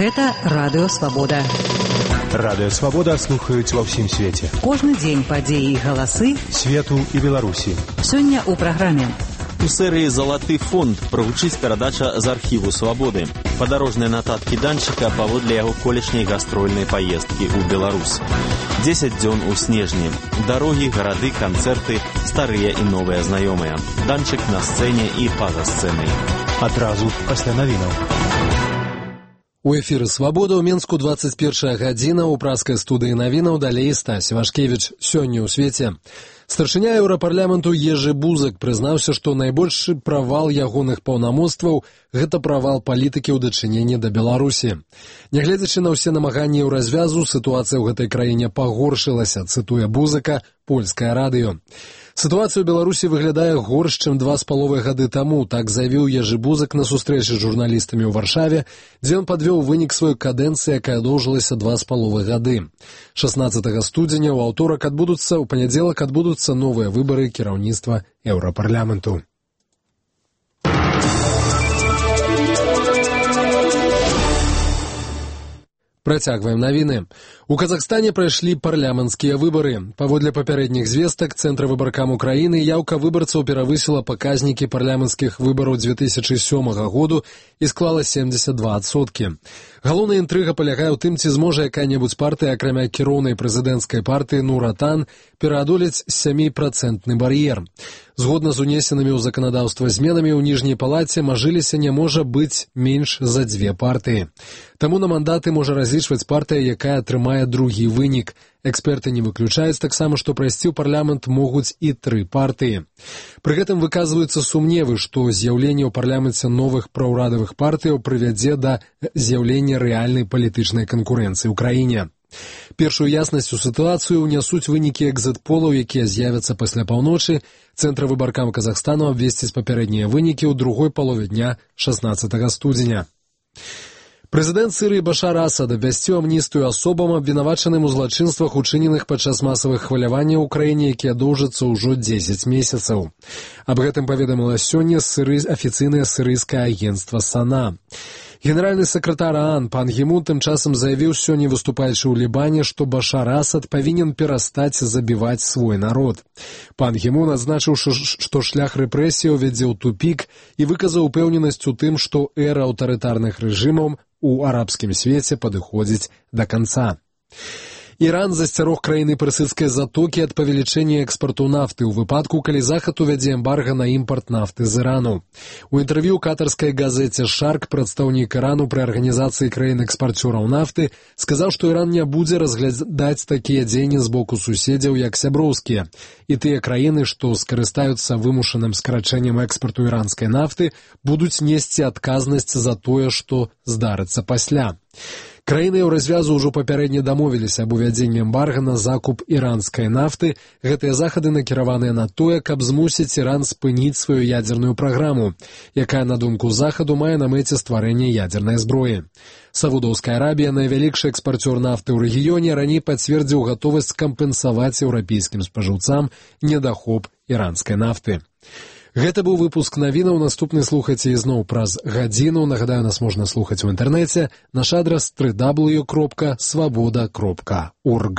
Гэта Радыё Свабода. Радыё Свабода слухаюць ва ўсім свеце. Кожны дзень падзеі і галасы свету і Беларусі. Сёння ў праграме. У серыі «Залаты фонд» прагучыць перадача з архіву «Свабоды». Падарожныя нататкі данчыка паводле яго колішняй гастрольнай паездкі ў Беларусь. 10 дзён у снежні. Дарогі, гарады, канцэрты, старыя і новыя знаёмыя. Данчык на сцэне і па-за сцэнай. Адразу пасля навінаў. У эфіры «Свабода» ў Менску 21 гадзіна, у праскай студыі навінаў далей Стась Вашкевіч. Сёння ў свеце. Старшыня Еўрапарламенту Ежы Бузак прызнаўся, што найбольшы правал ягоных паўнамоцтваў – гэта правал палітыкі ў дачыненні да Беларусі. Нягледзячы на ўсе намаганні ў развязу, сітуацыя ў гэтай краіне пагоршылася, цытуе Бузака польскае радыё. Сітуацыя ў Беларусі выглядае горш, чым 2,5 гады таму, так заявіў Ежы Бузак на сустрэчы з журналістамі ў Варшаве, дзе ён падвёў вынік сваёй кадэнцыі, якая доўжылася 2,5 гады. 16 студзеня ў панядзелак адбудуцца новыя выбары кіраўніцтва Еўрапарламенту. Працягваем навіны. У Казахстане прайшлі парламенцкія выбары. Паводле папярэдніх звестак Цэнтра выбаркам Украіны яўка выбарцаў перавысіла паказнікі парламенцкіх выбараў 2007 году і склала 72%. Галоўная інтрыга палягае ў тым, ці зможа якая-небудзь партыя, акрамя кіроўнай прэзідэнцкай партыі Нур-Отан, пераадолець 7% бар'ер. Згодна з унесенымі ў заканадаўства зменамі ў ніжняй палаце мажыліся не можа быць менш за 2 партыі. Таму на мандаты можа разлічваць партыя, якая атрымае другі вынік. Эксперты не выключаюць таксама, што прайсці ў парламент могуць і 3 партыі. Пры гэтым выказваюцца сумневы, што з'яўленне ў парламенце новых праўрадавых партыяў прывядзе да з'яўлення рэальнай палітычнай канкурэнцыі ў краіне. Першую яснасць у сітуацыю ўнясуць вынікі экзіт-полаў, якія з'явяцца пасля паўночы. Цэнтр выбаркам Казахстану абвесціць папярэднія вынікі ў другой палове дня 16 студзеня. Прэзідэнт Сірыі Башар Асад абвясціў амністыю асобам, абвінавачаным у злачынствах, учыненых падчас масавых хваляванняў у краіне, якія доўжацца ўжо 10 месяцаў. Аб гэтым паведаміла сёння афіцыйнае сірыйскае агенцтва САНА. Генеральны сакратар ААН Пан Гі Мун тым часам заявіў сёння, выступаючы ў Лібане, што Башар Асад павінен перастаць забіваць свой народ. Пан Гі Мун адзначыў, што шлях рэпрэсіяў вядзе ў тупік і выказаў упэўненасць у тым, што эра аўтарытарных рэжымаў у арабскім свеце падыходзіць да канца. Іран засцярог краіны персідскай затокі ад павелічэння экспарту нафты ў выпадку, калі Захад увядзе эмбарга на імпарт нафты з Ірану. У інтэрв'ю катарскай газеце «Шарк» прадстаўнік Ірану пры арганізацыі краін-экспарцёраў нафты сказаў, што Іран не будзе разглядаць такія дзеянні з боку суседзяў як сяброўскія. І тыя краіны, што скарыстаюцца вымушаным скарачэннем экспарту іранскай нафты, будуць несці адказнасць за тое, што здарыцца пасля. Краіны ў развязу ўжо папярэдне дамовіліся аб увядзенні эмбарга на закуп іранскай нафты. Гэтыя захады накіраваныя на тое, каб змусіць Іран спыніць сваю ядзерную праграму, якая, на думку Захаду, мае на мэце стварэнне ядзернай зброі. Саудаўская Арабія, найвялікшы экспарцёр нафты ў рэгіёне, раней пацвердзіў гатовасць кампенсаваць еўрапейскім спажыўцам недахоп іранскай нафты. Гэта быў выпуск навінаў, наступны слухайце ізноў праз гадзіну. Нагадаю, нас можна слухаць у інтэрнэце. Наш адрас www.svoboda.org.